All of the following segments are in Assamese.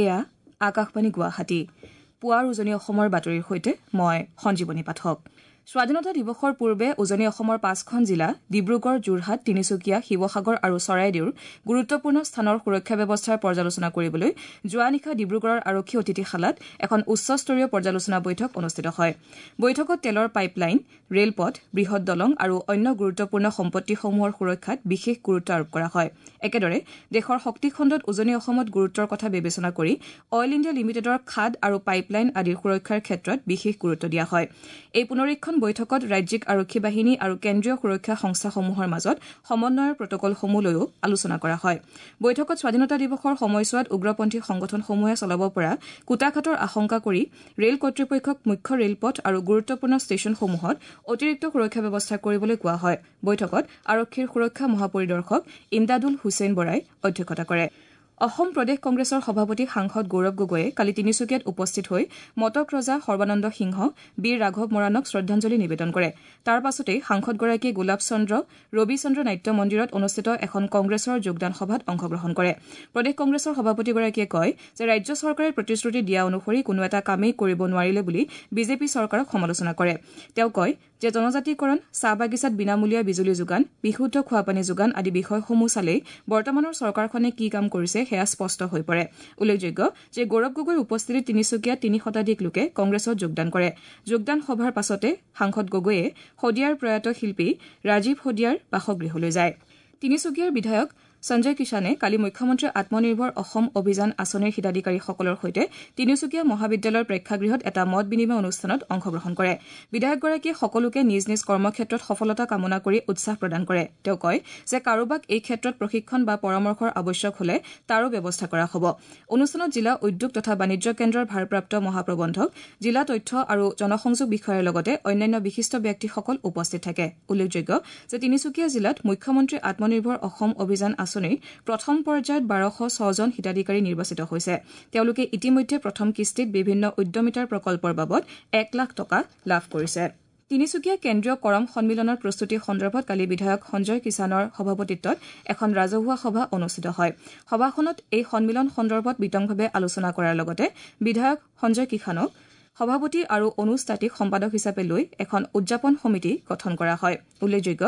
এয়া আকাশবাণী গুৱাহাটী। পুৱাৰ উজনি অসমৰ বাতৰিৰ সৈতে মই সঞ্জীৱনী পাঠক। স্বাধীনতা দিৱসৰ পূৰ্বে উজনি অসমৰ পাঁচখন জিলা ডিব্ৰুগড়, যোৰহাট, তিনিচুকীয়া, শিৱসাগৰ আৰু চৰাইদেউৰ গুৰুত্বপূৰ্ণ স্থানৰ সুৰক্ষা ব্যৱস্থাৰ পৰ্যালোচনা কৰিবলৈ যোৱা নিশা ডিব্ৰুগড়ৰ আৰক্ষী অতিথিশালাত এখন উচ্চস্তৰীয় পৰ্যালোচনা বৈঠক অনুষ্ঠিত হয়। বৈঠকত তেলৰ পাইপলাইন, ৰেলপথ, বৃহৎ দলং আৰু অন্য গুৰুত্বপূৰ্ণ সম্পত্তিসমূহৰ সুৰক্ষাত বিশেষ গুৰুত্ব আৰোপ কৰা হয়। একেদৰে দেশৰ শক্তিখণ্ডত উজনি অসমত গুৰুত্বৰ কথা বিবেচনা কৰি অইল ইণ্ডিয়া লিমিটেডৰ খাদ আৰু পাইপলাইন আদিৰ সুৰক্ষাৰ ক্ষেত্ৰত বিশেষ গুৰুত্ব দিয়া হয়। এই পুনৰীক্ষণ বৈঠকত ৰাজ্যিক আৰক্ষী বাহিনী আৰু কেন্দ্ৰীয় সুৰক্ষা সংস্থাসমূহৰ মাজত সমন্বয়ৰ প্ৰটকলসমূহ লৈও আলোচনা কৰা হয়। বৈঠকত স্বাধীনতা দিৱসৰ সময়ছোৱাত উগ্ৰপন্থী সংগঠনসমূহে চলাব পৰা কূটাঘাতৰ আশংকা কৰি ৰেল কৰ্তৃপক্ষক মুখ্য ৰেলপথ আৰু গুৰুত্বপূৰ্ণ ষ্টেচনসমূহত অতিৰিক্ত সুৰক্ষা ব্যৱস্থা কৰিবলৈ কোৱা হয়। বৈঠকত আৰক্ষীৰ সুৰক্ষা মহাপৰিদৰ্শক ইমদাদুল হুছেইন বৰাই অধ্যক্ষতা কৰে। অসম প্ৰদেশ কংগ্ৰেছৰ সভাপতি সাংসদ গৌৰৱ গগৈয়ে কালি তিনিচুকীয়াত উপস্থিত হৈ মটক ৰজা সৰ্বানন্দ সিংহ, বীৰ ৰাঘৱ মৰাণক শ্ৰদ্ধাঞ্জলি নিবেদন কৰে। তাৰ পাছতেই সাংসদগৰাকীয়ে গোলাপ চন্দ্ৰ ৰবিচন্দ্ৰ নাট্য মন্দিৰত অনুষ্ঠিত এখন কংগ্ৰেছৰ যোগদান সভাত অংশগ্ৰহণ কৰে। প্ৰদেশ কংগ্ৰেছৰ সভাপতিগৰাকীয়ে কয় যে ৰাজ্য চৰকাৰে প্ৰতিশ্ৰুতি দিয়া অনুসৰি কোনো এটা কামেই কৰিব নোৱাৰিলে বুলি বিজেপি চৰকাৰক সমালোচনা কৰে। তেওঁ কয় যে জনজাতিকৰণ, চাহ বাগিচাত বিনামূলীয়া বিজুলী যোগান, বিশুদ্ধ খোৱাপানী যোগান আদি বিষয়সমূহ চালেই বৰ্তমানৰ চৰকাৰখনে কি কাম কৰিছে সেয়া স্পষ্ট হৈ পৰে। উল্লেখযোগ্য যে গৌৰৱ গগৈৰ উপস্থিতিত তিনিচুকীয়াত ৩ শতাধিক লোকে কংগ্ৰেছত যোগদান কৰে। যোগদান সভাৰ পাছতে সাংসদ গগৈয়ে শদিয়াৰ প্ৰয়াত শিল্পী ৰাজীৱ শদিয়াৰ বাসগৃহলৈ যায়। তিনিচুকীয়াৰ বিধায়ক সঞ্জয় কিষাণে কালি মুখ্যমন্ত্ৰী আত্মনিৰ্ভৰ অসম অভিযান আঁচনিৰ হিতাধিকাৰীসকলৰ সৈতে তিনিচুকীয়া মহাবিদ্যালয়ৰ প্ৰেক্ষাগৃহত এটা মত বিনিময় অনুষ্ঠানত অংশগ্ৰহণ কৰে। বিধায়কগৰাকীয়ে সকলোকে নিজ নিজ কৰ্মক্ষেত্ৰত সফলতা কামনা কৰি উৎসাহ প্ৰদান কৰে। তেওঁ কয় যে কাৰোবাক এই ক্ষেত্ৰত প্ৰশিক্ষণ বা পৰামৰ্শৰ আৱশ্যক হলে তাৰো ব্যৱস্থা কৰা হ'ব। অনুষ্ঠানত জিলা উদ্যোগ তথা বাণিজ্য কেন্দ্ৰৰ ভাৰপ্ৰাপ্ত মহাপ্ৰবন্ধক, জিলা তথ্য আৰু জনসংযোগ বিষয়াৰ লগতে অন্যান্য বিশিষ্ট ব্যক্তিসকল উপস্থিত থাকে। উল্লেখযোগ্য যে তিনিচুকীয়া জিলাত মুখ্যমন্ত্ৰী আত্মনিৰ্ভৰ অসম অভিযান আঁচনিৰ প্ৰথম পৰ্যায়ত ১২০৬ জন হিতাধিকাৰী নিৰ্বাচিত হৈছে। তেওঁলোকে ইতিমধ্যে প্ৰথম কিস্তিত বিভিন্ন উদ্যমিতাৰ প্ৰকল্পৰ বাবদ ১ লাখ টকা লাভ কৰিছে। তিনিচুকীয়া কেন্দ্ৰীয় কৰম সন্মিলনৰ প্ৰস্তুতি সন্দৰ্ভত কালি বিধায়ক সঞ্জয় কিষাণৰ সভাপতিত্বত এখন ৰাজহুৱা সভা অনুষ্ঠিত হয়। সভাখনত এই সন্মিলন সন্দৰ্ভত বিতংভাৱে আলোচনা কৰাৰ লগতে বিধায়ক সঞ্জয় কিষাণক সভাপতি আৰু অনুজ তাঁতীক সম্পাদক হিচাপে লৈ এখন উদযাপন সমিতি গঠন কৰা হয়। উল্লেখযোগ্য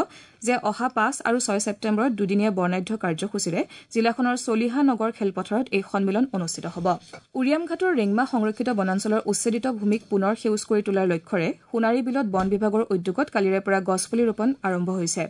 যে অহা ৫ আৰু ৬ ছেপ্টেম্বৰত দুদিনীয়া বৰ্ণাঢ্য কাৰ্যসূচীৰে জিলাখনৰ চলিহা নগৰ খেলপথাৰত এই সন্মিলন অনুষ্ঠিত হ'ব। উৰিয়ামঘাটৰ ৰেংমা সংৰক্ষিত বনাঞ্চলৰ উচ্ছেদিত ভূমিক পুনৰ সেউজ কৰি তোলাৰ লক্ষ্যৰে সোণাৰী বিলত বন বিভাগৰ উদ্যোগত কালিৰে পৰা গছপুলি ৰোপণ আৰম্ভ হৈছে।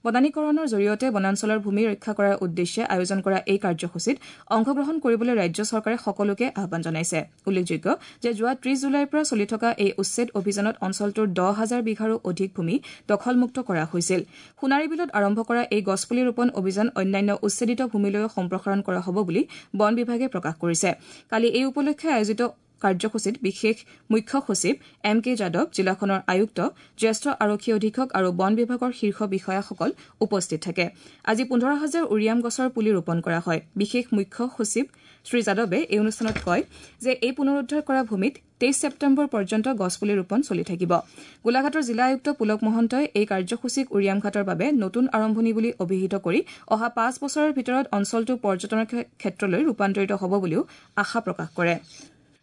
বনানীকৰণৰ জৰিয়তে বনাঞ্চলৰ ভূমি ৰক্ষা কৰাৰ উদ্দেশ্যে আয়োজন কৰা এই কাৰ্যসূচীত অংশগ্ৰহণ কৰিবলৈ ৰাজ্য চৰকাৰে সকলোকে আহ্বান জনাইছে। উল্লেখযোগ্য যে যোৱা ৩০ জুলাইৰ পৰা চলি থকা এই উচ্ছেদ অভিযানত অঞ্চলটোৰ ১০ হাজাৰ বিঘাৰো অধিক ভূমি দখলমুক্ত কৰা হৈছিল। সোণাৰী বিলত আৰম্ভ কৰা এই গছপুলি ৰোপণ অভিযান অন্যান্য উচ্ছেদিত ভূমিলৈও সম্প্ৰসাৰণ কৰা হ'ব বুলি বন বিভাগে প্ৰকাশ কৰিছে। কালি এই উপলক্ষে আয়োজিত কাৰ্যসূচীত বিশেষ মুখ্য সচিব এম কে যাদৱ, জিলাখনৰ আয়ুক্ত, জ্যেষ্ঠ আৰক্ষী অধীক্ষক আৰু বন বিভাগৰ শীৰ্ষ বিষয়াসকল উপস্থিত থাকে। আজি ১৫ হাজাৰ উৰিয়াম গছৰ পুলি ৰোপণ কৰা হয়। বিশেষ মুখ্য সচিব শ্ৰী যাদৱে এই অনুষ্ঠানত কয় যে এই পুনৰুদ্ধাৰ কৰা ভূমিত ২৩ ছেপ্টেম্বৰ পৰ্যন্ত গছপুলি ৰোপণ চলি থাকিব। গোলাঘাটৰ জিলা আয়ুক্ত পুলক মহন্তই এই কাৰ্যসূচীক উৰিয়ামঘাটৰ বাবে নতুন আৰম্ভণি বুলি অভিহিত কৰি অহা ৫ বছৰৰ ভিতৰত অঞ্চলটো পৰ্যটনৰ ক্ষেত্ৰলৈ ৰূপান্তৰিত হ'ব বুলিও আশা প্ৰকাশ কৰে।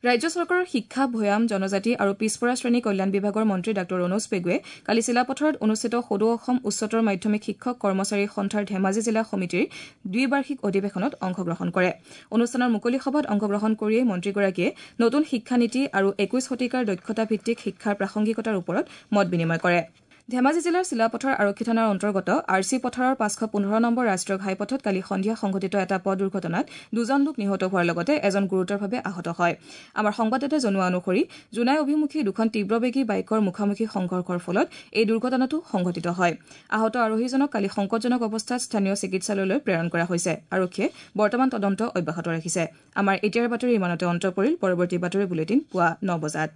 ৰাজ্য চৰকাৰৰ শিক্ষা, ভৈয়াম, জনজাতি আৰু পিছপৰা শ্ৰেণী কল্যাণ বিভাগৰ মন্ত্ৰী ডাঃ ৰণোজ পেগুৱে কালি চিলাপথাৰত অনুষ্ঠিত সদৌ অসম উচ্চতৰ মাধ্যমিক শিক্ষক কৰ্মচাৰী সন্থাৰ ধেমাজি জিলা সমিতিৰ দ্বিবাৰ্ষিক অধিৱেশনত অংশগ্ৰহণ কৰে। অনুষ্ঠানৰ মুকলি সভাত অংশগ্ৰহণ কৰিয়েই মন্ত্ৰীগৰাকীয়ে নতুন শিক্ষানীতি আৰু ২১ শতিকাৰ দক্ষতাভিত্তিক শিক্ষাৰ প্ৰাসংগিকতাৰ ওপৰত মত বিনিময় কৰে। ধেমাজি জিলাৰ চিলাপথাৰ আৰক্ষী থানাৰ অন্তৰ্গত আৰ চি পথাৰৰ ৫১৫ নম্বৰ ৰাষ্ট্ৰীয় ঘাইপথত কালি সন্ধিয়া সংঘটিত এটা পথ দুৰ্ঘটনাত দুজন লোক নিহত হোৱাৰ লগতে এজন গুৰুতৰভাৱে আহত হয়। আমাৰ সংবাদদাতাই জনোৱা অনুসৰি জোনাই অভিমুখী দুখন তীব্ৰবেগী বাইকৰ মুখামুখি সংঘৰ্ষৰ ফলত এই দুৰ্ঘটনাটো সংঘটিত হয়। আহত আৰোহীজনক কালি সংকটজনক অৱস্থাত স্থানীয় চিকিৎসালয়লৈ প্ৰেৰণ কৰা হৈছে। আৰক্ষীয়ে বৰ্তমান তদন্ত অব্যাহত ৰাখিছে। আমাৰ এতিয়াৰ বাতৰি ইমানতে অন্ত পৰিল। পৰৱৰ্তী বাতৰি বুলেটিন পুৱা ৯ বজাত।